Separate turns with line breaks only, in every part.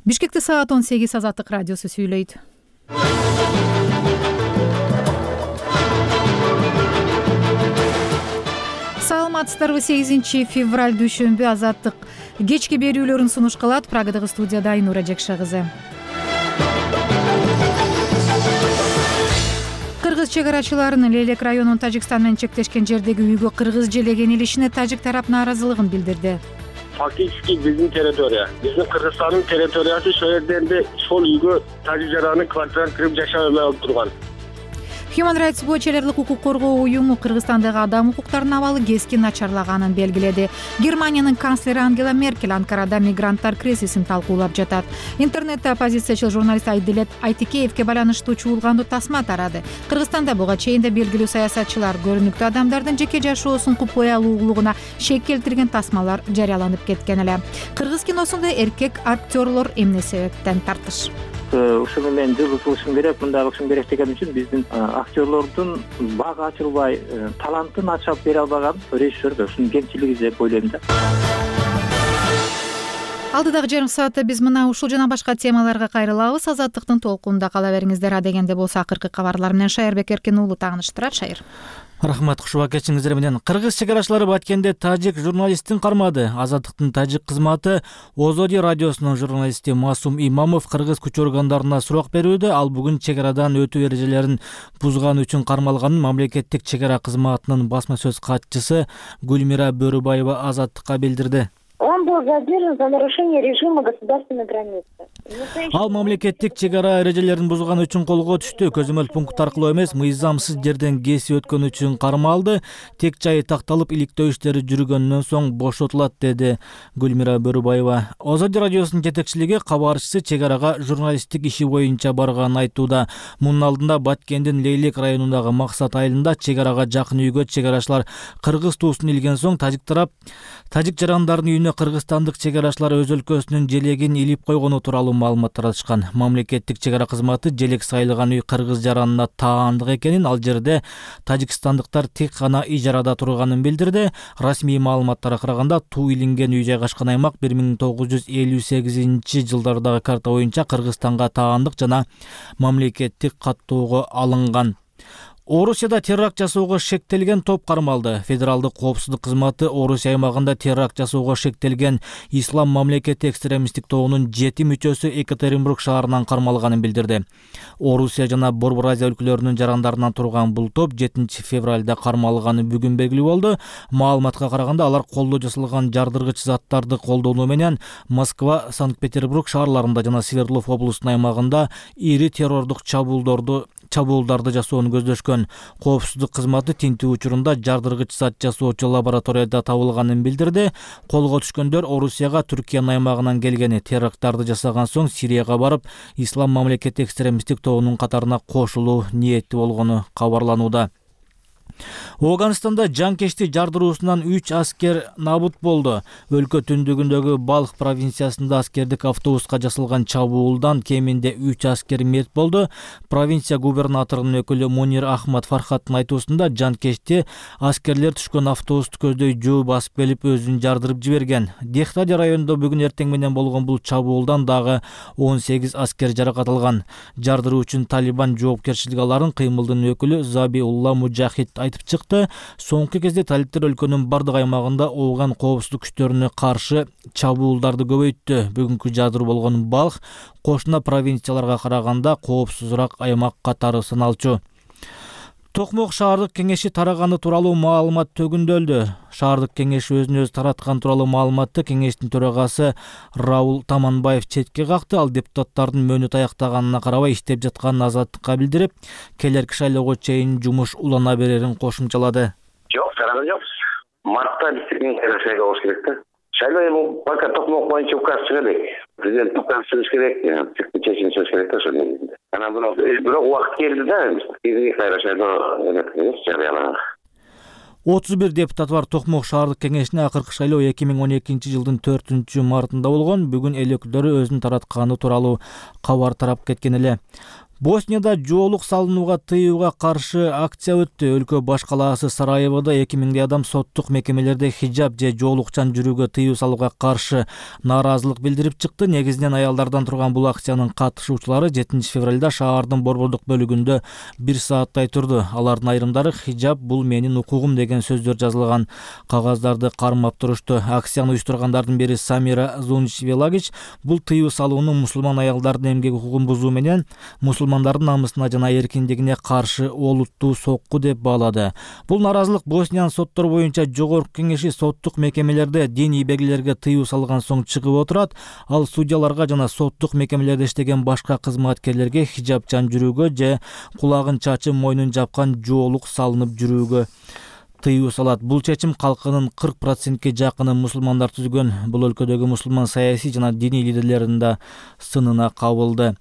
Бишкекте саат 18 Азаттык радиосу сүйлөйт. Саламатсыздарбы? 8 февраль дүйшөмбү Азаттык кечки берүүлөрүн сунуш кылат. Прагадагы студияда Айнура Жекше кызы. Кыргыз чегарачыларынын Лейлек районунун Тажикстан менен чектешкен жердеги үйгө кыргыз желеген илишине тажик тарап нааразылыгын билдирди.
Фактически биздин территория, биздин Кыргызстандын территориясы ошол жерде энди сол үйгө тажик жаранын квартирасына кирип жашай албай алып турган.
Human Rights Watch элдик укук коргоо уюму Кыргызстандагы адам укуктарынын абалы кескин начарлаганын белгиледи. Германиянын канцлери Ангела Меркель Анкарада мигранттар кризисин талкуулап жатат. Интернетте оппозициячыл журналист Айдилет Айтикеевке байланыштуу чуулгандуу тасма тарады. Кыргызстанда буга чейин да белгилүү саясатчылар көрүнүктүү адамдардын жеке жашоосун купкой алуулугуна шек келтирген тасмалар жарыяланып кеткен эле. Кыргыз киносунда эркек актерлор эмне себептен тартыш?
Ушуну мен жылы кылышым керек, мындай кылышым керек деген үчүн биздин актерлордун бак ачылбай, талантын ачып бере албаган режиссер ушунун кемчилиги деп ойлойм да.
Алдыдагы жарым саатта биз мына ушул жана башка темаларга кайрылабыз. Азаттыктын толкунунда кала бериңиздер. А дегенде болсо акыркы кабарлар менен Шайырбек Эркин уулу тааныштырат. Шайыр.
Рахмат, кушуба кетишиңиздер менен. Кыргыз чегарачылары Баткенде тажик журналистин кармады. Азаттыктын тажик кызматы Озоди радиосунун журналисти Масум Имамов кыргыз күч органдарына сурак берүүдө. Ал бүгүн чегарадан өтүү эрежелерин бузган үчүн кармалганын мамлекеттик чегара кызматынын басма сөз катчысы Гүлмира Бөрүбаева Азаттыкка билдирди.
Он был задержан за нарушение режима государственной границы.
Ал мамлекеттик чегара эрежелерин бузган үчүн колго түштү. Көзөмөл пункт аркылуу эмес, мыйзамсыз жерден кесип өткөн үчүн кармалды. Тек жайы такталып, иликтөө иштери жүргөндөн соң бошотулат, деди Гүлмира Бөрүбаева. Озоди радиосунун жетекчилиги кабарчысы чегарага журналисттик иши боюнча барганын айтууда. Мунун алдында Баткендин Лейлек районундагы Максат айылында чегарага жакын үйгө чегарачылар кыргыз туусун илген соң тажик жарандардын үйүнө кыргызстандык чегарачылар өз өлкөсүнүн желегин илип койгону тууралуу маалымат таратышкан. Мамлекеттик чегара кызматы желек сайылган үй кыргыз жаранына таандык экенин, ал жерде тажикстандыктар тек гана ижарада турганын билдирди. Расмий маалыматтарга караганда туу илинген үй жайгашкан аймак 1958 жылдардагы карта боюнча Кыргызстанга таандык жана мамлекеттик каттоого алынган. Орусияда теракт жасоого шектелген топ кармалды. Федералдык коопсуздук кызматы Орусия аймагында теракт жасоого шектелген Ислам мамлекети экстремисттик тобунун 7 мүчөсү Екатеринбург шаарынан кармалганын билдирди. Орусия жана Борбор Азия өлкөлөрүнүн жарандарынан турган бул топ 7 февралда кармалганы бүгүн белгилүү болду. Маалыматка караганда алар колдо жасалган жардыргыч заттарды колдонуу менен Москва, Санкт-Петербург шаарларында жана Свердлов облусунун аймагында ири террордук чабуулдарды жасоону көздөшкөн. Коопсуздук кызматы тинтүү учурунда жардыргыч зат жасоочу лабораторияда табылганын билдирди. Колго түшкөндөр Орусияга Түркиянын аймагынан келгени, теракттарды жасаган соң Сирияга барып, Ислам мамлекети экстремисттик тобунун катарына кошулуу ниети болгону кабарланууда. Афганистанда жанкечти жардыруусунан 3 аскер набут болду. Өлкө түндүгүндөгү Балх провинциясында аскердик автобуска жасалган чабуулдан кеминде 3 аскер мерт болду. Провинция губернаторунун өкүлү Мунир Ахмад Фархаттын айтуусунда жанкечти аскерлер түшкөн автобусту көздөй жөө басып келип өзүн жардырып жиберген. Дехтади районунда бүгүн эртең менен болгон бул чабуулдан дагы 18 аскер жаракат алган. Жардыруу үчүн Талибан жоопкерчилиги аларын кыймылдын өкүлү Забиулла Мужахид айтып чыкты. Соңку кезде талиптер өлкөнүн бардык аймагында Афган коопсуздук күчтөрүнө каршы чабуулдарды көбөйттү. Бүгүнкү жардыруу болгон Балх кошуна провинцияларга караганда коопсузураак аймак катары саналчу. Токмок шаардык кеңеши тараганы тууралуу маалымат төгүндөлдү. Шаардык кеңеш өзүн өзү тараткан тууралуу маалыматты кеңештин төрагасы Раул Таманбаев четке какты. Ал депутаттардын мөөнөт аяктаганына карабай иштеп жатканын Азаттыкка билдирип, келерки шайлоого чейин жумуш улана берерин кошумчалады.
Жок, тараган жок. Мартта биздин шайлоо болуш керек да. Шайлоо эми пока Токмок боюнча указ чыга элек. Президент указ чыгыш керек, чечим чыгыш керек да ошол нерсе. Анан бирок убакыт келди да, кайра шайлоо жарыялаган.
31 депутат бар Токмок шаардык кеңешине акыркы шайлоо 2012 жылдын 4-мартында болгон. Бүгүн эл өкүлдөрү өзүн таратканы тууралуу кабар тарап кеткен эле. Боснияда жоолук салынууга тыюуга каршы акция өттү. Өлкө баш калаасы Сараеводо 2000 адам соттук мекемелерде хиджаб же жоолукчан жүрүүгө тыюу салууга каршы нааразылык билдирип чыкты. Негизинен аялдардан турган бул акциянын катышуучулары 7 февралда шаардын борбордук бөлүгүндө 1 сааттай турду. Алардын айрымдары хиджаб бул менин укугум деген сөздөр жазылган кагаздарды кармап турушту. Акцияны уюштургандардын бири Самира Зунчвелагич бул тыюу салуунун мусулман аялдардын эмгек укугун бузуу менен мусулмандардын намысына жана эркиндигине каршы олуттуу сокку деп баалады. Бул нааразылык Босниянын соттор боюнча жогорку кеңеши соттук мекемелерде диний белгилерге тыюу салган соң чыгып отурат. Ал судьяларга жана соттук мекемелерде иштеген башка кызматкерлерге хиджабчан жүрүүгө же кулагын чачып мойнун жапкан жоолук салынып жүрүүгө тыюу салат. Бул чечим калкынын 40%ке жакыны мусулмандар түзгөн. Бул өлкөдөгү мусулман саясий жана диний лидерлердин да сынына кабылды.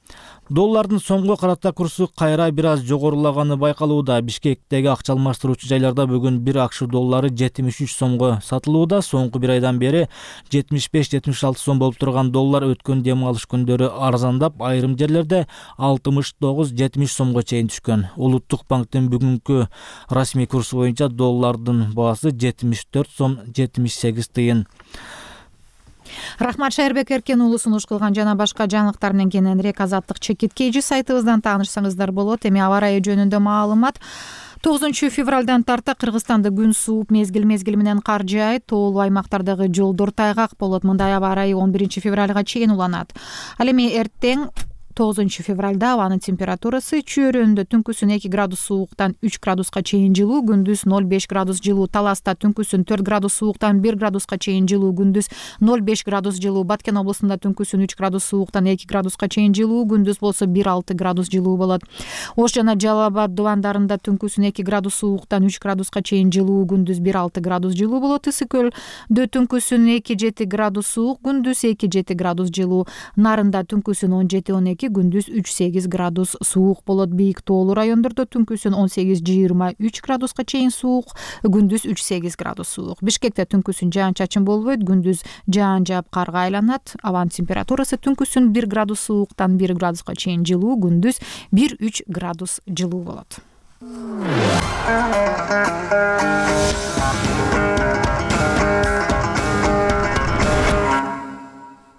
Доллардын соңку карата курсу кайра бир аз жогорулаганы байкалууда. Бишкектеги акча алмаштыруучу жайларда бүгүн 1 акш доллары 73 сомго сатылууда. Соңку бир айдан бери 75-76 сом болуп турган доллар өткөн дем алыш күндөрү арзандап, айрым жерлерде 69-70 сомго чейин түшкөн. Улуттук банктын бүгүнкү расмий курсу боюнча доллардын баасы 74 сом 78 тыйын.
Рахмат, Шайырбек Эркен уулу сунуш кылган жана башка жаңылыктар менен кененирээк Азаттык чекиткейжи сайтыбыздан таанышсаңыздар болот. Эми аба ырайы жөнүндө маалымат. 9 февралдан тарта Кыргызстанда күн сууп, мезгил менен кар жаайт, тоолуу аймактардагы жолдор тайгак болот. Мындай аба ырайы 11 февралга чейин уланат. Ал эми эртең 9 февралда абанын температурасы чөйрөндө түнкүсүн 2 градус сууктан 3 градуска чейин жылуу, күндүз 0,5 градус жылуу. Таласта түнкүсүн 4 градус сууктан 1 градуска чейин жылуу, күндүз 0,5 градус жылуу. Баткен областында түнкүсүн 3 градус сууктан 2 градуска чейин жылуу, күндүз болсо 1,6 градус жылуу болот. Ош жана Жалал Абад дубандарында түнкүсүн 2 градус сууктан 3 градуска чейин жылуу, күндүз 1,6 градус жылуу болот. Ысык көлдө түнкүсүн 2,7 градус суук, күндүз 2,7 градус жылуу. Нарында түнкүсүн 17-12, күндүз 3,8 градус суук болот. Бийик тоолуу райондордо түнкүсүн 18-23 градуска чейин суук, күндүз 3,8 градус суук. Бишкекте түнкүсүн жаан-чачын болбойт, күндүз жаан жаап карга айланат. Абанын температурасы түнкүсүн 1 градус сууктан 1 градуска чейин жылуу, күндүз 1,3 градус жылуу болот.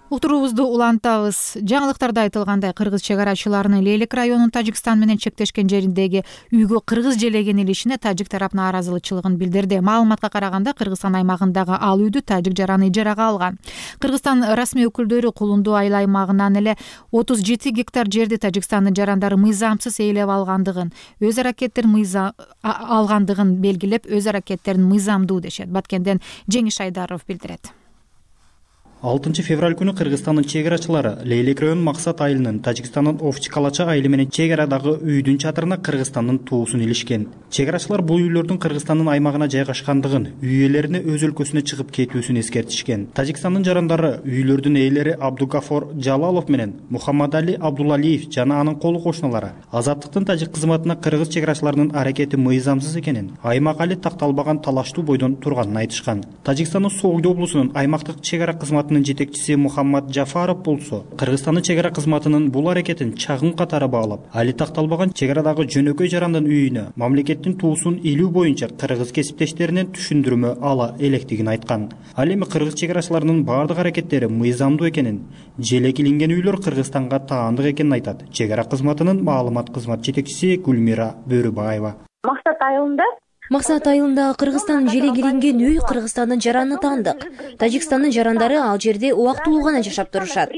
Уктуруубузду улантабыз. Жаңылыктарда айтылгандай, кыргыз чек арачыларынын Лейлек районунун Тажикстан менен чектешкен жериндеги үйгө кыргыз желеген илишине тажик тарап нааразычылыгын билдирди. Маалыматка караганда, Кыргызстан аймагындагы ал үйдү тажик жараны ижарага алган. Кыргызстан расмий өкүлдөрү Кулунду айыл аймагынан эле 37 гектар жерди Тажикстандын жарандары мыйзамсыз ээлеп алгандыгын белгилеп, өз аракеттерин мыйзамдуу дешет. Баткенден Жеңиш Айдаров билдирет.
6 февраль күнү Кыргызстандын чек арачылары Лейлек районунун Максат айылынын Тажикстандын Овчкалача айылы менен чек арадагы үйдүн чатырына Кыргызстандын туусун илишкен. Чек арачылар бул үйлөрдүн Кыргызстандын аймагына жайгашкандыгын, үй ээлерине өз өлкөсүнө чыгып кетүүсүн эскертишкен. Тажикстандын жарандары үйлөрдүн ээлери Абдугафор Жалалов менен Мухаммадали Абдулалиев жана анын колу кошуналары Азаттыктын тажик кызматына кыргыз чек арачыларынын аракети мыйзамсыз экенин, аймак али такталбаган талаштуу бойдон турганын айтышкан. Тажикстандын Согду облусунун аймактык чек ара кызматынын жетекчиси Мухаммад Жафаров болсо, Кыргызстандын чек ара кызматынын бул аракетин чагым катары баалап, али такталбаган чек арадагы жөнөкөй жарандын үйүнө мамлекеттин туусун илүү боюнча кыргыз кесиптештеринен түшүндүрмө ала электигин айткан. Ал эми кыргыз чек арачыларынын баардык аракеттери мыйзамдуу экенин, желек илинген үйлөр Кыргызстанга таандык экенин айтат чек ара кызматынын маалымат кызмат жетекчиси Гүлмира Бөрүбаева.
Максат айылындагы Кыргызстандын желек илинген үй Кыргызстандын жараны таандык. Тажикстандын жарандары ал жерде убактылуу гана жашап турушат.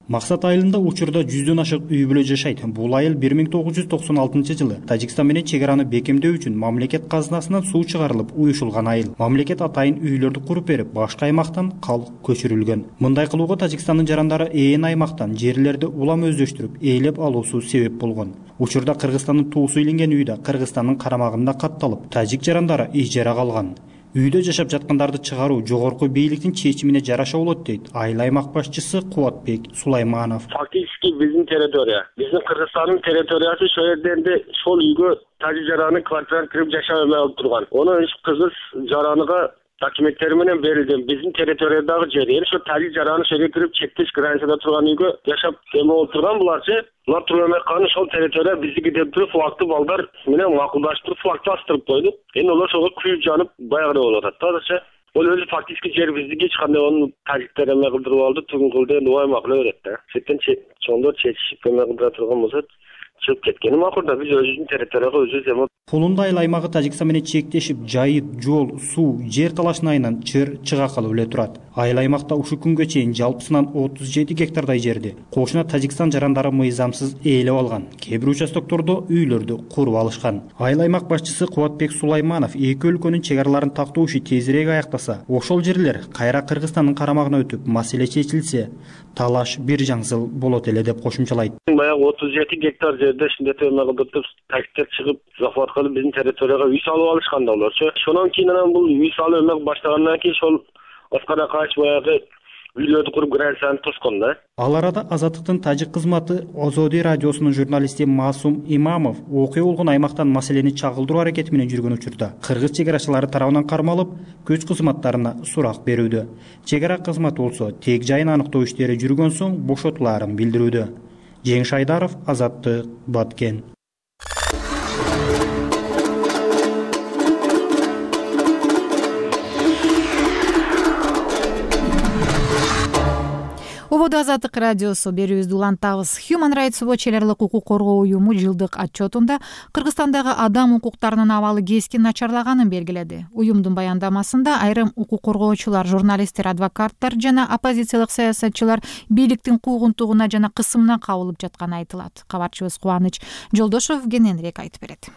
Максат айылында учурда 100дөн ашык үй бүлө жашайт. Бул айыл 1996 жылы Тажикстан менен чек араны бекемдөө үчүн мамлекет казынасынан суу чыгарылып уюшулган айыл. Мамлекет атайын үйлөрдү куруп берип, башка аймактан калк көчүрүлгөн. Мындай кылууга Тажикстандын жарандары ээн аймактан жерлерди улам өздөштүрүп, ээлеп алуусу себеп болгон. Учурда Кыргызстандын туусу илинген үйдө Кыргызстандын карамагында катталып, тажик жарандары ижарага алган. Үйдө жашап жаткандарды чыгаруу жогорку бийликтин чечимине жараша болот дейт айыл аймак башчысы Кубатбек Сулайманов.
Фактически биздин Кыргызстандын территориясы ошол жерде ошол үйгө тажик жараны квартираны кирип жашай албай турган. Оны кыргыз жараныга документтери менен берилген биздин территориядагы жер. Эми ошо тажик жараны ошол кирип чектеш границада турган үйгө жашап эме болуп турган буларчы. Булар туруп эметкан ошол территория биздики деп туруп флагты балдар менен макулдашып туруп флагты астырып койду. Эми олар ошого күйүп жанып баягыдай болуп атат да азырча. Ол өзү фактически жер биздики, эч кандай onu тажиктер эме кылдырып алды, түгүн кылды, эми убай макулай берет да. Сеттен чоңдор чечишип эме кылдыра турган болсо чыгып кеткени макул да, биз өзүбүздүн территорияга өзүбүз эме.
Кулунда айыл аймагы Тажикстан менен чектешип, жайыт, жол, суу, жер талашын айынан чыга калып эле турат. Айыл аймакта ушул күнгө чейин жалпысынан 37 гектардай жерди кошуна Тажикстан жарандары мыйзамсыз ээлеп алган. Кээ бир участоктордо үйлөрдү куруп алышкан. Айыл аймак башчысы Кубатбек Сулайманов эки өлкөнүн чек араларын тактоо иши тезирээк аяктаса, ошол жерлер кайра Кыргызстандын карамагына өтүп, маселе чечилсе, талаш бир жаңсыл болот эле деп кошумчалайт.
Баягы 37 гектар жерде ушундай эме кылдырып, тажиктер чыгып захват кылып биздин территорияга үй салып алышкан да олорчу. Ошондон кийин анан бул үй салып эме баштагандан кийин ошол Оскара качып баягы үйлөрдү куруп границаны тоскон да.
Ал арада Азаттыктын тажик кызматы Озоди радиосунун журналисти Масум Имамов окуя болгон аймактан маселени чагылдыруу аракети менен жүргөн учурда кыргыз чек арачылары тарабынан кармалып, күч кызматтарына сурак берүүдө. Чек ара кызматы болсо тек жайын аныктоо иштери жүргөн соң бошотулаарын билдирүүдө. Жеңиш Айдаров, Азаттык, Баткен.
Ободо Азаттык радиосу берүүбүздү улантабыз. Human Rights Watch элерлик укук коргоо уюму жылдык отчетунда Кыргызстандагы адам укуктарынын абалы кескин начарлаганын белгиледи. Уюмдун баяндамасында айрым укук коргоочулар, журналисттер, адвокаттар жана оппозициялык саясатчылар бийликтин куугунтугуна жана кысымына кабылып жатканы айтылат. Кабарчыбыз Кубаныч Жолдошов кененирээк айтып берет.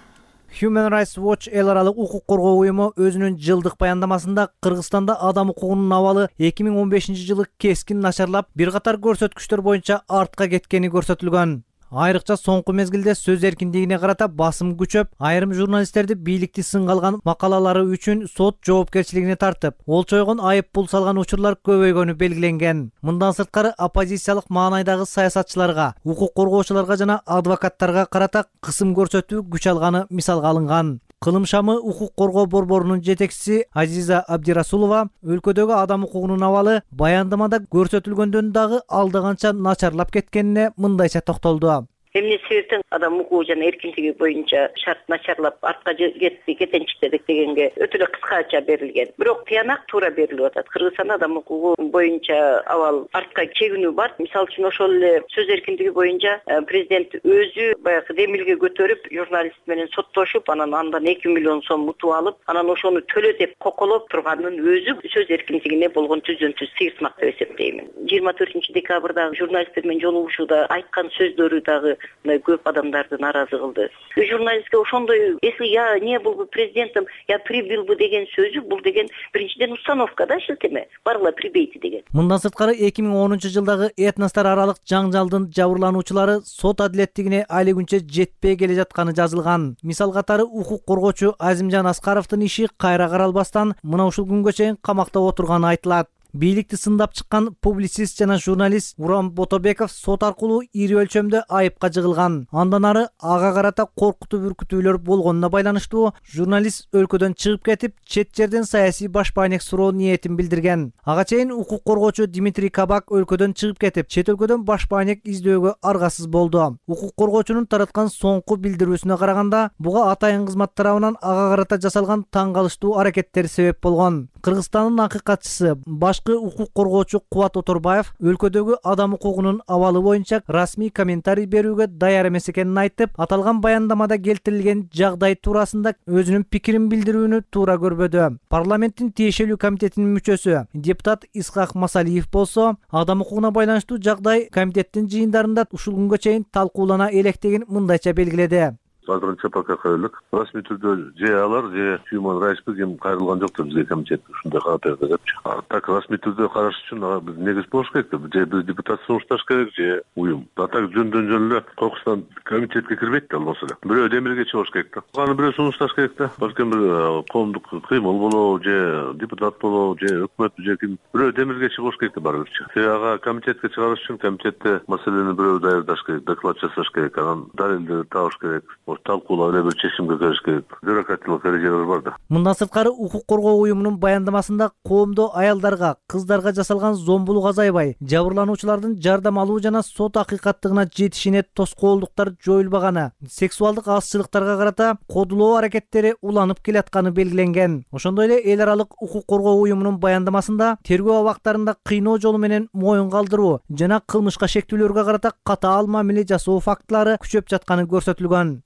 Human Rights Watch эл аралык укук коргоо уюму өзүнүн жылдык баяндамасында Кыргызстанда адам укугунун абалы 2015-жылы кескин начарлап, бир катар көрсөткүчтөр боюнча артка кеткени көрсөтүлгөн. Айрыкча соңку мезгилде сөз эркиндигине карата басым күчөп, айрым журналисттерди бийликти сынга алган макалалары үчүн сот жоопкерчилигине тартып, олчойгон айып пул салган учурлар көбөйгөнү белгиленген. Мындан сырткары оппозициялык маанайдагы саясатчыларга, укук коргоочуларга жана адвокаттарга карата кысым көрсөтүү күч алганы мисалга алынган. Кылым шамы укук коргоо борборунун жетекчиси Азиза Абдирасулова өлкөдөгү адам укугунун абалы баяндамада көрсөтүлгөндөн дагы алдаганча начарлап кеткенине мындайча токтолду.
Эмне себептен адам укугу жана эркиндиги боюнча шарт начарлап артка кетенчиктедик дегенге өтө эле кыскача берилген. Бирок тыянак туура берилип атат. Кыргызстанда адам укугу боюнча абал артка чегинүү бар. Мисалы үчүн ошол эле сөз эркиндиги боюнча президент өзү баягы демилге көтөрүп, журналист менен соттошуп, анан андан 2 миллион сом утуп алып, анан ошону төлө деп коколоп турганын өзү сөз эркиндигине болгон түздөн-түз сыйыртмак деп эсептеймин. 24-декабрда журналисттер менен жолугушууда айткан сөздөрү дагы көп адамдарды нааразы кылды. Журналистке ошондой, если я не был бы президентом, я прибил бы деген сөзү, бул деген биринчиден установка да, шилтеме. Барыла прибейте деген.
Мындан сырткары 2010-жылдагы этностор аралык жаңжалдын жабырлануучулары сот адилеттигине али күнчө жетпей келе жатканы жазылган. Мисал катары укук коргоочу Азимжан Аскаровдун иши кайра каралбастан мына ушул күнгө чейин камакта отурганы айтылат. Бийликти сындап чыккан публицист жана журналист Урам Ботобеков сот аркылуу ири өлчөмдө айыпка жыгылган. Андан ары ага карата коркутуу бүркүтүүлөр болгонуна байланыштуу журналист өлкөдөн чыгып кетип, чет жерден саясий башпаанек суроо ниетин билдирген. Ага чейин укук коргоочу Дмитрий Кабак өлкөдөн чыгып кетип, чет өлкөдөн башпаанек издөөгө аргасыз болду. Укук коргоочунун тараткан соңку билдирүүсүнө караганда, буга атайын кызмат тарабынан ага карата жасалган таң калыштуу аракеттер себеп болгон. Кыргызстандын акыйкатчысы башкы укук коргоочу Кубат Оторбаев өлкөдөгү адам укугунун абалы боюнча расмий комментарий берүүгө даяр эмес экенин айтып, аталган баяндамада келтирилген жагдай туурасында өзүнүн пикирин билдирүүнү туура көрбөдү. Парламенттин тиешелүү комитетинин мүчөсү депутат Исхак Масалиев болсо, адам укугуна байланыштуу жагдай комитеттин жыйындарында ушул күнгө чейин талкуулана электигин мындайча белгиледи.
Азырынча пока коюлук. Расмий түрдө же алар, же Human Rights ким кайрылган жок бизге комитет ушундай кабар берди депчи. Так расмий түрдө караш үчүн биз негиз болуш керек. Же биз депутат сунушташ керек, же уюм. Так жөндөн эле кокустан комитетке кирбейт да болсо эле. Бирөө демирге чыгыш керек да. Аны бирөө сунушташ керек да. Балким бир коомдук кыймыл болобу, же депутат болобу, же өкмөт, же ким бирөө демирге чыгыш керек да барыбырчы. Ага комитетке чыгарыш үчүн комитетте маселени бирөө даярдаш керек, доклад жасаш керек, анан далилди табыш керек. талкуулап эле бир чечимге келиш керек. Бюрократиялык эрежелер бар да.
Мындан сырткары укук коргоо уюмунун баяндамасында коомдо аялдарга, кыздарга жасалган зомбулук азайбай, жабырлануучулардын жардам алуу жана сот акыйкаттыгына жетишине тоскоолдуктар жоюлбаганы, сексуалдык азчылыктарга карата кодулоо аракеттери уланып келатканы белгиленген. Ошондой эле эл аралык укук коргоо уюмунун баяндамасында тергөө абактарында кыйноо жолу менен моюн калтыруу жана кылмышка шектүүлөргө карата катаал мамиле жасоо фактылары күчөп жатканы көрсөтүлгөн.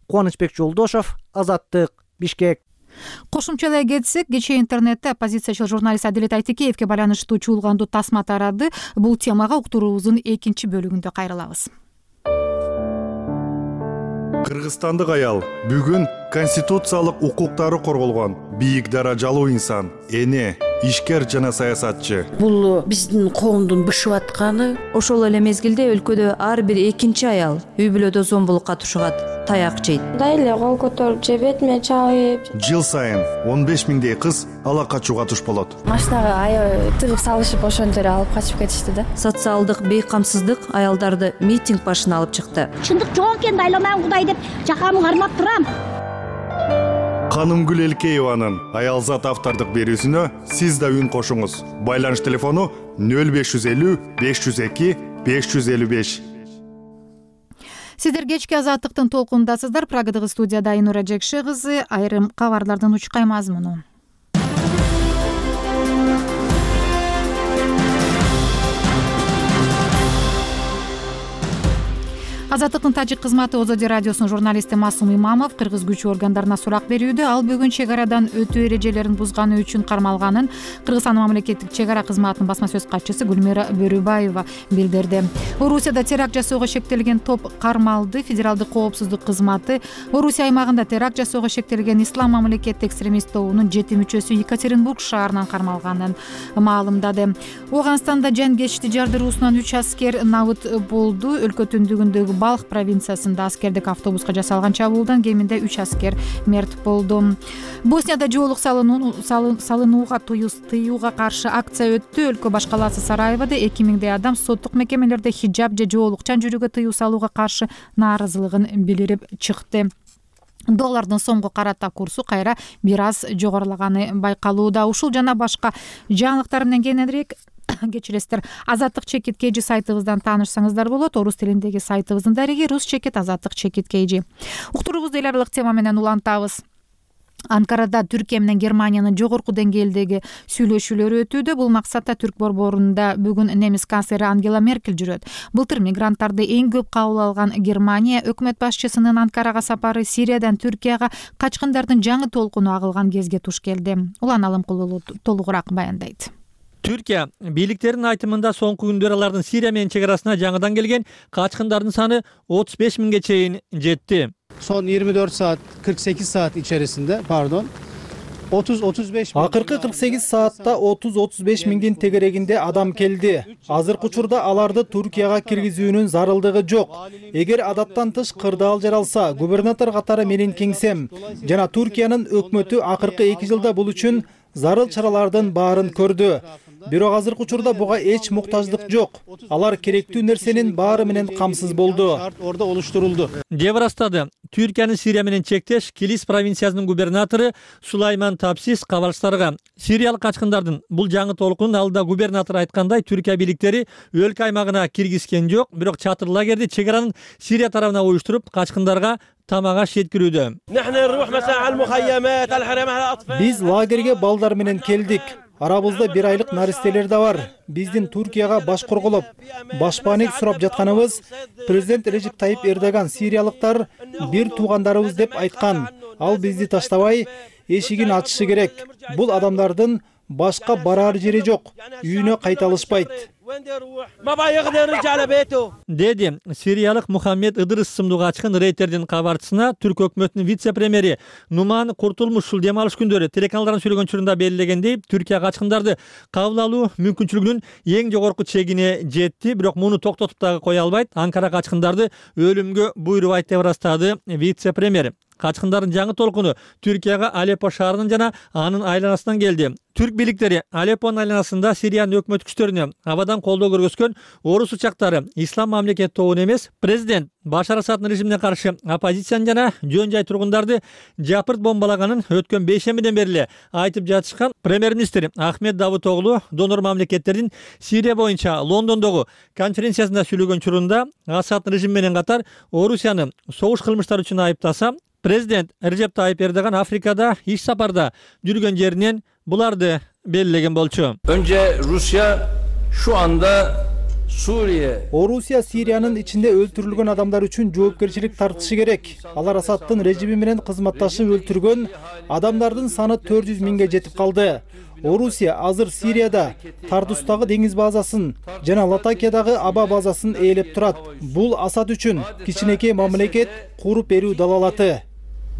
Кубанычбек Жолдошов, Азаттык, Бишкек.
Кошумчалай кетсек, кечээ интернетте оппозициячыл журналист Адилет Айтекеевке байланыштуу чуулгандуу тасма тарады. Бул темага уктуруубуздун экинчи бөлүгүндө кайрылабыз.
Кыргызстандык аял бүгүн конституциялык укуктары корголгон бийик даражалуу инсан, эне, ишкер жана саясатчы.
Бул биздин коомдун бышып атканы.
Ошол эле мезгилде өлкөдө ар бир экинчи аял үй бүлөдө зомбулукка тушугат, таяк жейт.
Дайле кол көтөрүп же бетиме чабып.
Жыл сайын 15 миңдей кыз ала качууга туш болот.
Машинага аябай тыгып салышып ошондо эле алып качып кетишти да.
Социалдык бейкамсыздык аялдарды митинг башына алып чыкты.
Чындык жок экен, дайламайм Кудай деп жакамды кармап турам.
Канымгүл Элкееванын Аялзат автордук берүүсүнө сиз да үн кошуңуз. Байланыш телефону 0550 502 555.
Сиздер кечки Азаттыктын толкундасыздар. Прагадагы студияда Айнура Жекше кызы. Айрым кабарлардын учкай мазмуну. Азаттыктын тажик кызматы Озоди радиосунун журналисти Масум Имамов кыргыз күч органдарына сурак берүүдө. Ал бүгүн чек арадан өтүү эрежелерин бузганы үчүн кармалганын Кыргызстан мамлекеттик чек ара кызматынын басма сөз катчысы Гүлмира Бөрүбаева билдирди. Орусияда теракт жасоого шектелген топ кармалды. Федералдык коопсуздук кызматы Орусия аймагында теракт жасоого шектелген Ислам мамлекеттик экстремист тобунун 7 мүчөсү Екатеринбург шаарынан кармалганын маалымдады. Ооганстанда жангечти жардыруусунан 3 аскер набыт болду. Өлкө түндүгүндөгү Балх провинциясында аскердик автобуска жасалган чабуулдан кеминде 3 аскер мерт болду. Боснияда жоолук салынууга тыюуга каршы акция өттү. Өлкө баш калаасы Сараевода 2000дей адам соттук мекемелерде хиджаб же жоолукчан жүрүүгө тыюу салууга каршы нааразылыгын билдирип чыкты. Доллардын сомго карата курсу кайра бир аз жогорулаганы байкалууда. Ушул жана башка жаңылыктар менен кененирээк кечиресиздер. Азаттык чекит KG сайтыбыздан таанышсаңыздар болот. Орус тилиндеги сайтыбыздын дареги Рус чекит азаттык чекит KG. Уктуруубузду эл аралык тема менен улантабыз. Анкарада Түркия менен Германиянын жогорку деңгээлдеги сүйлөшүүлөрү өтүүдө. Бул максатта Түрк борборунда бүгүн немис канцлери Ангела Меркель жүрөт. Былтыр мигранттарды эң көп кабыл алган Германия өкмөт башчысынын Анкарага сапары Сириядан Түркияга качкындардын жаңы толкуну агылган кезге туш келди. Улан Алымкулуу толугураак баяндайт.
Түркия бийликтеринин айтымында соңку күндөр алардын Сирия менен чек арасына жаңыдан келген качкындардын саны 35 миңге чейин жетти.
Son 24 saat 48 saat içerisinde 30-35
Акыркы 48 саатта 30-35 миңдин тегерегинде адам келди. Азыркы учурда аларды Туркияга киргизүүнүн зарылдыгы жок. Эгер адаттан тыш кырдаал жаралса, губернатор катары менин кеңсем жана Туркиянын өкмөтү акыркы 2 жылда бул үчүн зарыл чаралардын баарын көрдү. Бирок азыркы учурда буга эч муктаждык жок. Алар керектүү нерсенин баары менен камсыз болду.
Orada oluşturuldu.
Деп ырастады Түркиянын Сирия менен чектеш Килис провинциясынын губернатору Сулайман Тапсис кабарчыларга. Сириялык качкындардын бул жаңы толкунун алдыда губернатор айткандай Түркия бийликтери өлкө аймагына киргизген жок, бирок чатыр лагерди чек аранын Сирия тарабына уюштуруп качкындарга тамак аш жеткирүүдө.
Биз лагерге балдар менен келдик. Арабызда 1 айлык наристелер да бар. Биздин Туркияга баш корголоп, башпаанек сурап жатканыбыз президент Режеп Тайип Эрдоган сириялыктар бир туугандарыбыз деп айткан. Ал бизди таштабай эшигин ачышы керек. Бул адамдардын башка барар жери жок. Үйүнө кайта алышпайт.
Деди сириялык Мухаммед Ыдырыс сымдуу качкын рейтердин кабарчысына түрк өкмөтүнүн вице-премьери Нуман Куртулмуш ушул дем алыш күндөрү телеканалдардын сүйлөгөн учурунда белгилегендей, Түркия качкындарды кабыл алуу мүмкүнчүлүгүнүн эң жогорку чегине жетти, бирок муну токтотуп дагы кое албайт. Анкара качкындарды өлүмгө буйрубайт деп ырастады вице-премьер. Качкындардын жаңы толкуну Түркияга Алеппо шаарынан жана анын айланасынан келди. Түрк бийликтери Алеппонун айланасында Сириянын өкмөт күчтөрүнө абадан колдоо көргөзгөн орус учактары ислам мамлекет тобун эмес, президент Башар Асаддын режимине каршы оппозицияны жана жөн жай тургундарды жапырт бомбалаганын өткөн бейшембиден бери эле айтып жатышкан премьер-министр Ахмед Давутоглу донор мамлекеттердин Сирия боюнча Лондондогу конференциясында сүйлөгөн учурунда Асаддын режими менен катар Орусияны согуш кылмыштары үчүн айыптаса, президент Режеп Тайип Эрдоган Африкада иш сапарда жүргөн жеринен буларды белгилеген болчу.
Önce Rusya şu anda Suriye.
Орусия Сириянын ичинде өлтүрүлгөн адамдар үчүн жоопкерчилик тартышы керек. Алар Асаддын режими менен кызматташып өлтүргөн адамдардын саны 400 миңге жетип калды. Орусия азыр Сирияда Тардустагы деңиз базасын жана Латакиядагы аба базасын ээлеп турат. Бул Асад үчүн кичинекей мамлекет куруп берүү далалаты.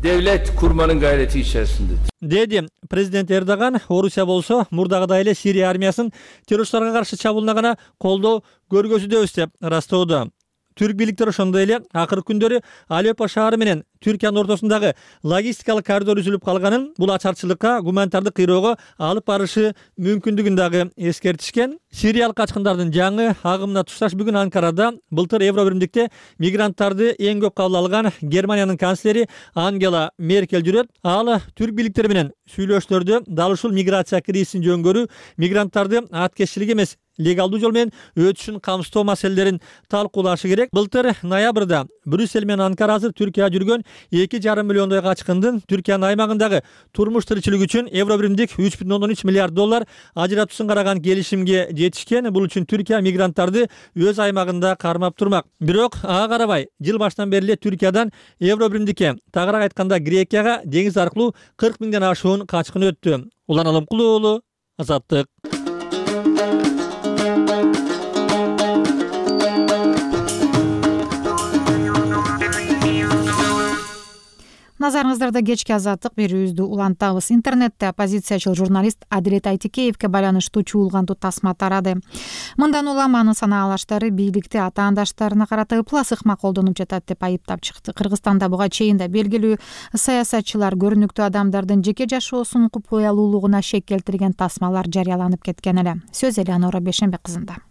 Devlet kurmanın gayreti içerisinde.
Dedi президент Эрдоган. Орусия болсо мурдагыдай эле Сирия армиясын террористторго каршы чабуулуна гана колдоо көргөзүүдөбүз деп ырастоодо. Түрк бийликтери ошондой эле акыркы күндөрү Алеппо шаары менен Түркиянын ортосундагы логистикалык коридор үзүлүп калганын, бул ачарчылыкка, гуманитардык кыйроого алып барышы мүмкүндүгүн дагы эскертишкен. Сириялык качкындардын жаңы агымына тушташ бүгүн Анкарада былтыр Евробиримдикте мигранттарды эң көп кабыл алган Германиянын канцлери Ангела Меркель жүрөт. Ал түрк бийликтери менен сүйлөшүүлөрдө дал ушул миграция кризисин жөнгөрүү, мигранттарды аткезчилик эмес, легалдуу жол менен өтүшүн камсыздоо маселелерин талкуулашы керек. Былтыр ноябрда Брюссель менен Анкара азыр Түркияга жүргөн 2,5 миллиондой качкындын Түркиянын аймагындагы турмуш тиричилиги үчүн Евробиримдик 3,13 миллиард доллар ажыратуусун караган келишимге жетишкен. Бул үчүн Түркия мигранттарды өз аймагында кармап турмак. Бирок ага карабай жыл башынан бери эле Түркиядан Евробиримдикке, тагыраак айтканда Грекияга деңиз аркылуу 40 миңден ашуун качкын өттү. Улан Алымкулуу уулу, Азаттык.
Назарыңыздарда кечки азаттык берүүбүздү улантабыз. Интернетте оппозициячыл журналист Адилет Айтикеевке байланыштуу чуулгандуу тасма тарады. Мындан улам анын санаалаштары бийликти атаандаштарына карата ыплас ыкма колдонуп жатат деп айыптап чыкты. Кыргызстанда буга чейин да белгилүү саясатчылар көрүнүктүү адамдардын жеке жашоосунун купуялуулугуна шек келтирген тасмалар жарыяланып кеткен эле. Сөз Элеонора Бешенбек кызында.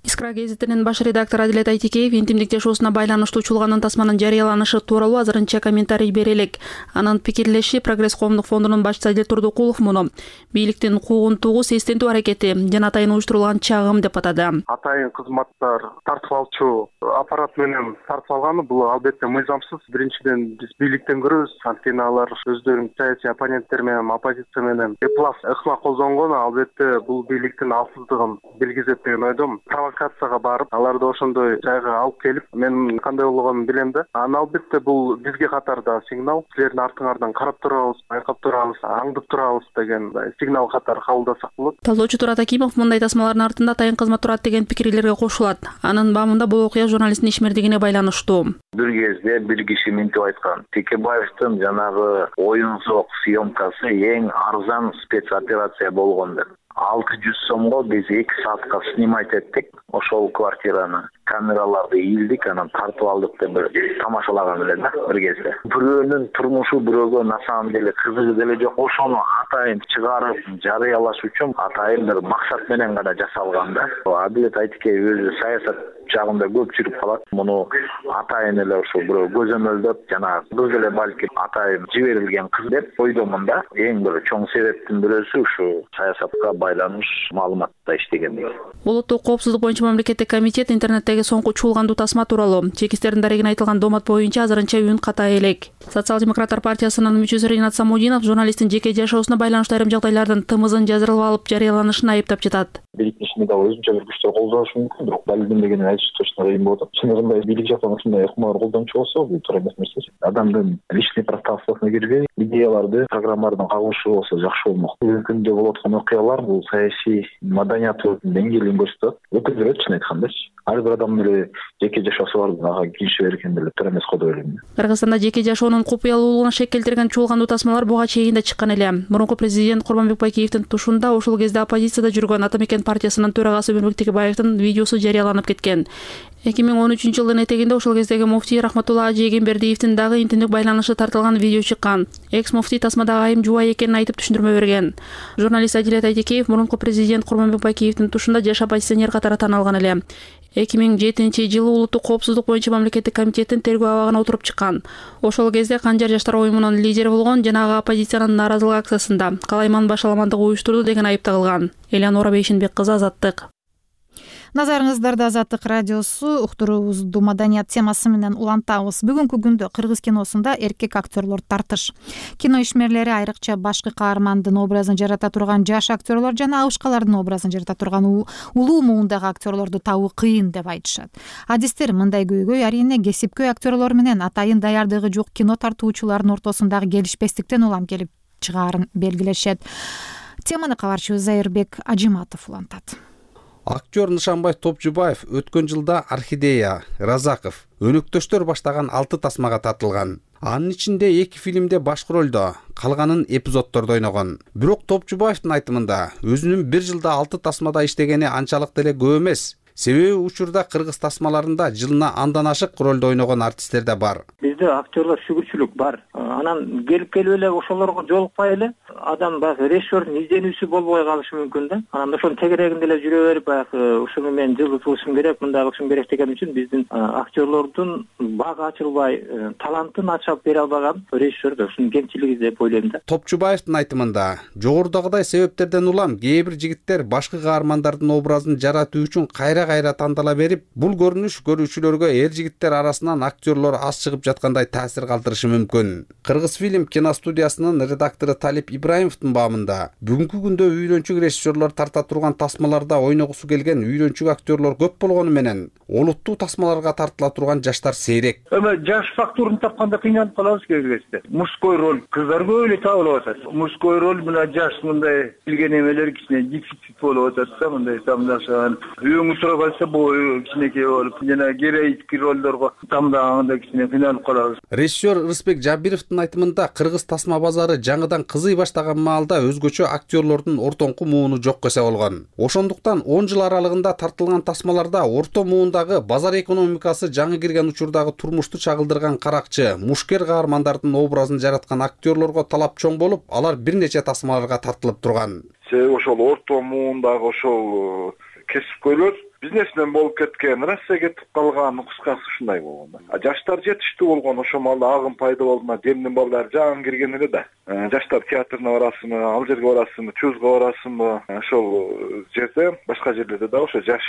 Искра гезитинин баш редактору Адилет Айтикеев интимдик жашоосуна байланыштуу чуулгандын тасманын жарыяланышы тууралуу азырынча комментарий бере элек. Анын пикирлеши Прогресс коомдук фондунун башчысы Адил Турдукулов муну бийликтин куугунтугу сестентүү аракети жана атайын уюштурулган чагым деп атады.
Атайын кызматтар тартып алчу аппарат менен тартып алганы бул албетте мыйзамсыз. Биринчиден биз бийликтен көрөбүз, анткени алар өздөрүнүн саясий оппоненттер менен, оппозиция менен эплас ыкма колдонгон, албетте бул бийликтин алсыздыгын белгизет деген ойдомун. Провокацияга барып, аларды ошондой жайга алып келип, мен кандай болгонун билем да. Албетте бул бизге катарда сигнал, силердин артыңардан карап турабыз, байкап турабыз, аңдып турабыз деген сигнал катары кабылдасак болот.
Талоочу Турат Акимов мындай тасмалардын артында атайын кызмат турат деген пикирлерге кошулат. Анын баамында бул окуя журналисттин ишмердигине байланыштуу.
Бир кезде бир киши минтип айткан, Текебаевдин жанагы оюн зок съемкасы эң арзан спецоперация болгон деп. 600 сомго биз 2 саатка снимать эттик ошол квартираны. Камераларды ийилдик, анан тартып алдык деп бир тамашалаган эле да бир кезде. Бирөөнүн турмушу бирөөгө на самом деле кызыгы деле жок. Ошону атайын чыгарып жарыялаш үчүн атайын бир максат менен гана жасалган да. Адилет Айтикеев өзү саясат жагында көп жүрүп калат. Муну атайын эле ошо бирөө көзөмөлдөп, жана кыз эле балки атайын жиберилген кыз деп ойдомун да. Эң бир чоң себептин бирөөсү ушу саясатка байланыш маалыматта иштегендиги.
Улуттук коопсуздук боюнча мамлекеттик комитет интернеттеги соңку чуулгандуу тасма тууралуу чекистердин дарегине айтылган доомат боюнча азырынча үн катай элек. Социал-демократтар партиясынын мүчөсү Ринат Самудинов журналисттин жеке жашоосуна байланыштуу айрым жагдайлардын тымызын жазырып алып жарыяланышын айыптап жатат.
Бийликтин ишине дагы өзүнчө бир күчтөр колдоnuшу мүмкүн, бирок далилденбегенин айтыш точно кыйын болот. Чыныгында бийлик жактан ушундай ыкмалар колдончу болсо, бул туура эмес нерсе. Адамдын личный пространствосуна кирбей, идеяларды, программаларды кагушы болсо жакшы болмок. Бүгүнкү күндө болуп аткан окуялар бул саясий маданияттын деңгээлин көрсөтөт. Өкүнчү чын айткандачы. Ар бир адамдын эле жеке жашоосу бар, ага кириши берген деле туура эмес го деп ойлойм.
Кыргызстанда жеке жашоонун купуялуулугуна шек келтирген чуулгандуу тасмалар буга чейин да чыккан эле. Мурунку президент Курманбек Байкеевдин тушунда ошол кезде оппозицияда жүргөн Ата Мекен партиясынын төрагасы Өмүрбек Текебаевдин видеосу жарыяланып кеткен. 2013 жылдын этегинде ошол кездеги муфтий Рахматулла Ажи Эгембердиевдин дагы интернет байланышы тартылган видео чыккан. Экс муфтий тасмадагы айым жубай экенин айтып түшүндүрмө берген. Журналист Адилет Айтекеев мурунку президент Курманбек Бакиевдин тушунда жаш оппозиционер катары таанылган эле. 2007 жылы улуттук коопсуздук боюнча мамлекеттик комитеттин тергөө абагына отуруп чыккан. Ошол кезде Канжар жаштар оюмунун лидери болгон жана ага оппозициянын нааразылык акциясында Калайман башаламандык уюштурду деген айып тагылган. Элеонора Бейшенбек кызы, Азаттык.
Назарыңыздарда Азаттык радиосу, уктуруубузду маданият темасы менен улантабыз. Бүгүнкү күндө кыргыз киносунда эркек актерлор тартыш. Кино ишмерлери айрыкча башкы каармандын образын жарата турган жаш актерлор жана абышкалардын образын жарата турган улуу муундагы актерлорду табуу кыйын деп айтышат. Адистер мындай көйгөй арийне кесипкөй актерлор менен атайын даярдыгы жок кино тартуучулардын ортосундагы келишпестиктен улам келип чыгаарын белгилешет. Теманы кабарчыбыз Зайырбек Ажиматов улантат.
Актер Нышанбай Топчубаев өткөн жылда Орхидея, Разаков, Өнөктөштөр баштаган 6 тасмага тартылган. Анын ичинде 2 фильмде башкы ролдо, калганын эпизоддордо ойногон. Бирок Топчубаевдин айтымында өзүнүн 1 жылда 6 тасмада иштегени анчалык деле көп эмес. Себеби учурда кыргыз тасмаларында жылына андан ашык ролдо ойногон артисттер да бар.
Бизде актерлор шүгүрчүлүк бар. Анан келип эле ошолорго жолукпай эле адам баягы режиссердун изденүүсү болбой калышы мүмкүн да. Анан ошонун тегерегинде эле жүрө берип баягы ушуну мен жылдыз кылышым керек, мындай кылышым керек деген үчүн биздин актерлордун бага ачылбай, талантын ачып бере албаган режиссер ушунун кемчилиги деп ойлойм да.
Топчубаевдин айтымында жогорудагыдай себептерден улам кээ бир жигиттер башкы каармандардын образын жаратуу үчүн кайра тандала берип, бул көрүнүш көрүүчүлөргө эр жигиттер арасынан актерлор аз чыгып жаткандай таасир калтырышы мүмкүн. Кыргыз фильм киностудиясынын редактору Талип Ибраимовдун баамында бүгүнкү күндө үйрөнчүк режиссерлор тарта турган тасмаларда ойногусу келген үйрөнчүк актерлор көп болгону менен олуттуу тасмаларга тартыла турган жаштар сейрек.
Жаш фактурун тапканда кыйналып калабыз кээ бирде. Мужской роль кыздар көп эле табылып атат. Мужской роль мына жаш мындай билген эмелер кичине дефицит болуп атат да, мындай тамдашан. Үйөңү сурап алса бою кичинекей болуп, жана героический ролдорго тамдаганда кичине кыйналып калабыз.
Режиссер Рысбек Жабировдун айтымында кыргыз тасма базары жаңыдан кызый баштаган маалда өзгөчө актерлордун ортоңку мууну жок эсе болгон. Ошондуктан 10 жыл аралыгында тартылган тасмаларда орто муундагы базар экономикасы жаңы кирген учурдагы турмушту чагылдырган каракчы, мушкер каармандардын образын жараткан актерлорго талап чоң болуп, алар бир нече тасмаларга тартылып турган.
Ошол орто муундагы ошол кесипкөйлөр бизнесмен болуп кеткен, Россия кетип калган, кыскасы ушундай болгон. Жаштар жетиштүү болгон, ошол маалда агым пайда болду, демдин балдары жаңы кирген эле да. Жаштар театрына барасыңбы, ал жерге барасыңбы, чузга барасыңбы, ошол жерде, башка жерлерде да ошо жаш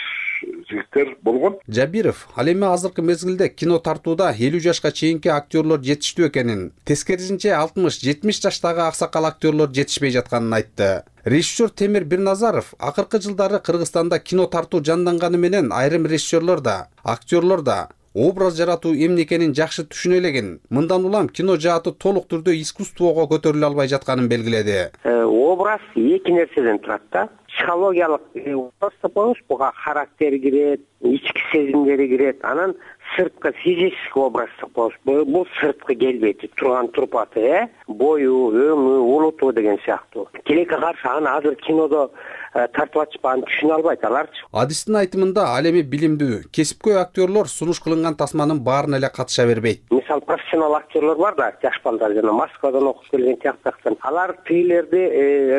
жигиттер болгон.
Жабиров ал эми азыркы мезгилде кино тартууда 50 жашка чейинки актерлор жетиштүү экенин, тескерисинче 60-70 жаштагы аксакал актерлор жетишпей жатканын айтты. Режиссер Темир Бирназаров акыркы жылдары Кыргызстанда кино тартуу жанданганы менен айрым режиссерлор да, актерлор да образ жаратуу эмне экенин жакшы түшүнө элеген. Мындан улам кино жааты толук түрдө искусствого көтөрүлө албай жатканын белгиледи.
Образ эки нерседен турат да. Психологиялык образ деп коебуз, буга характер кирет, ички сезимдери кирет, анан сырткы физический образ деп коебуз. Бул сырткы келбети, турган турпаты, бою, өңү, улуту деген сыяктуу. Тилекке каршы аны азыр кинодо тартып атышпаганын түшүнө албайт аларчы.
Адистин айтымында ал эми билимдүү, кесипкөй актерлор сунуш кылынган тасманын баарына эле катыша бербейт.
Мисалы профессионал актерлор бар да, жаш балдар жана Москвадан окуп келген тияктактан. Алар тилерди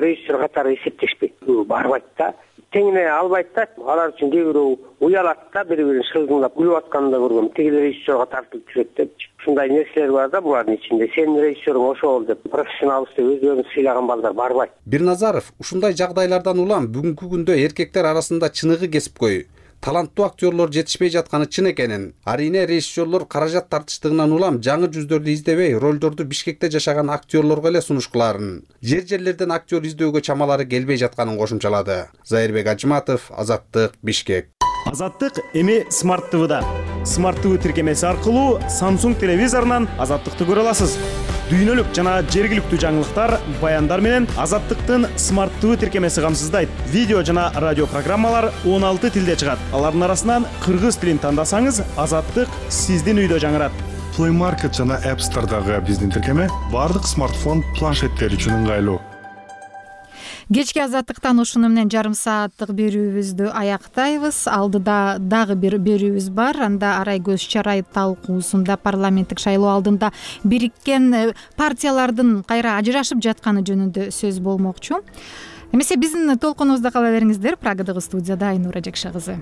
режиссер катары эсептешпейт. Барбайт да. Теңине албайт да, алар үчүн кээ бирөө уялат да, бири-бирин шылдыңдап күлүп атканын да көргөм. Тигил режиссерга тартылып жүрөт деп. Ушундай нерселер бар да булардын ичинде. Сенин режиссерың ошол деп профессионалбыз деп өздөрүн сыйлаган балдар барбайт.
Бирназаров ушундай жагдайлардан улам бүгүнкү күндө эркектер арасында чыныгы кесипкөй, таланттуу актерлор жетишпей жатканы чын экенин, арийне режиссерлор каражат тартыштыгынан улам жаңы жүздөрдү издебей, ролдорду Бишкекте жашаган актерлорго эле сунуш кылаарын, жер-жерлерден актер издөөгө чамалары келбей жатканын кошумчалады. Зайырбек Ажиматов, Азаттык, Бишкек.
Азаттык эми Smart TV'да. Smart TV тиркемеси аркылуу Samsung телевизорунан Азаттыкты көрө аласыз. Дүйнөлүк жана жергиликтүү жаңылыктар, баяндар менен Азаттыктын Smart TV тиркемеси камсыздайт. Видео жана радио программалар 16 тилде чыгат. Алардын арасынан кыргыз тилин тандасаңыз, Азаттык сиздин үйдө жаңырат.
Play Market жана App Store'дагы биздин тиркеме бардык смартфон, планшеттер үчүн ыңгайлуу.
Кечки азаттыктан ушуну менен жарым сааттык берүүбүздү аяктайбыз. Алдыда дагы бир берүүбүз бар. Анда арай көз чарай талкуусунда парламенттик шайлоо алдында бириккен партиялардын кайра ажырашып жатканы жөнүндө сөз болмокчу. Эмесе биздин толкунубузда кала бериңиздер. Прагадагы студияда Айнура Жакша кызы.